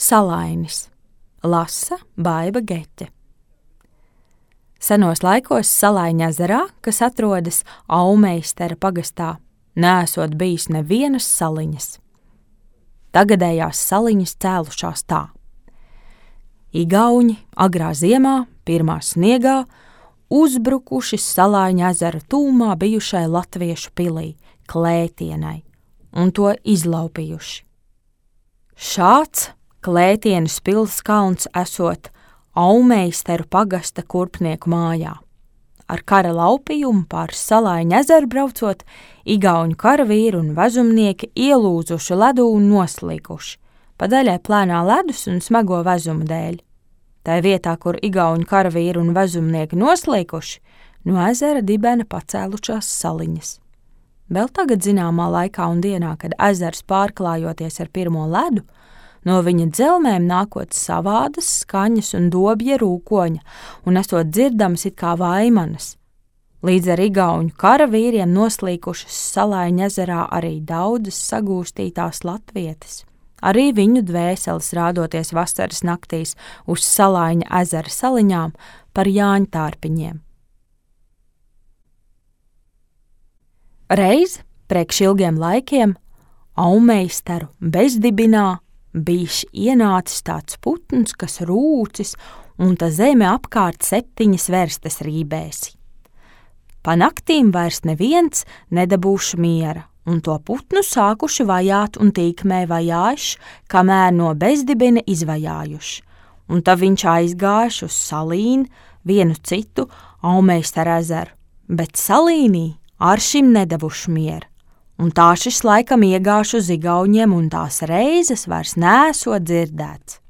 Salainis. Lasa Baiba Geķe. Senos laikos Salaiņa ezerā, kas atrodas Aumeistera pagastā, neesot bijis nevienas saliņas. Tagadējās saliņas cēlušās tā. Igauņi agrā ziemā, pirmā sniegā, uzbrukuši Salaiņa ezera tūmā bijušai latviešu pilī, Klētienai, un to izlaupījuši. Šāds Klētienes pils kalns esot Aumeisteru pagasta kurpnieku mājā. Ar kara laupījumu pār Salaiņa ezeru braucot, igauņu karavīri un vezumnieki ielūzuši ledu un noslīkuši, pa daļai plēnā ledus un smago vezumu dēļ. Tai vietā, kur igauņu karavīri un vezumnieki noslīkuši, no ezera dibena pacēlušās saliņas. Vēl tagad zināmā laikā un dienā, kad ezers pārklājoties ar pirmo ledu, no viņa dzelmēm nākot savādas skaņas un dobja rūkoņa, un esot dzirdamas it kā vaimanas. Līdz ar igauņu karavīriem noslīkušas Salaiņa ezerā arī daudzas sagūstītās latvietes. Arī viņu dvēseles rādoties vasaras naktīs uz Salaiņa ezera saliņām par jāņtārpiņiem. Reiz, priekš ilgiem laikiem, Aumeisteru bezdibinā bijis ienācis tāds putns, kas rūcis, un ta zeme apkārt 7 verstes rībēsi. Pa naktīm vairs neviens nedabūši miera, un to putnu sākuši vajāt un tīkmē vajājuši, kamēr no bezdibina izvajājuši, un tā viņš aizgājuši uz Salīnu, vienu citu Aumeisteru ezeru, bet Salīnī ar šim nedavuši mieru, un tā šis laikam iegāšu uz igauņiem, un tās reizes vairs neesot dzirdēts.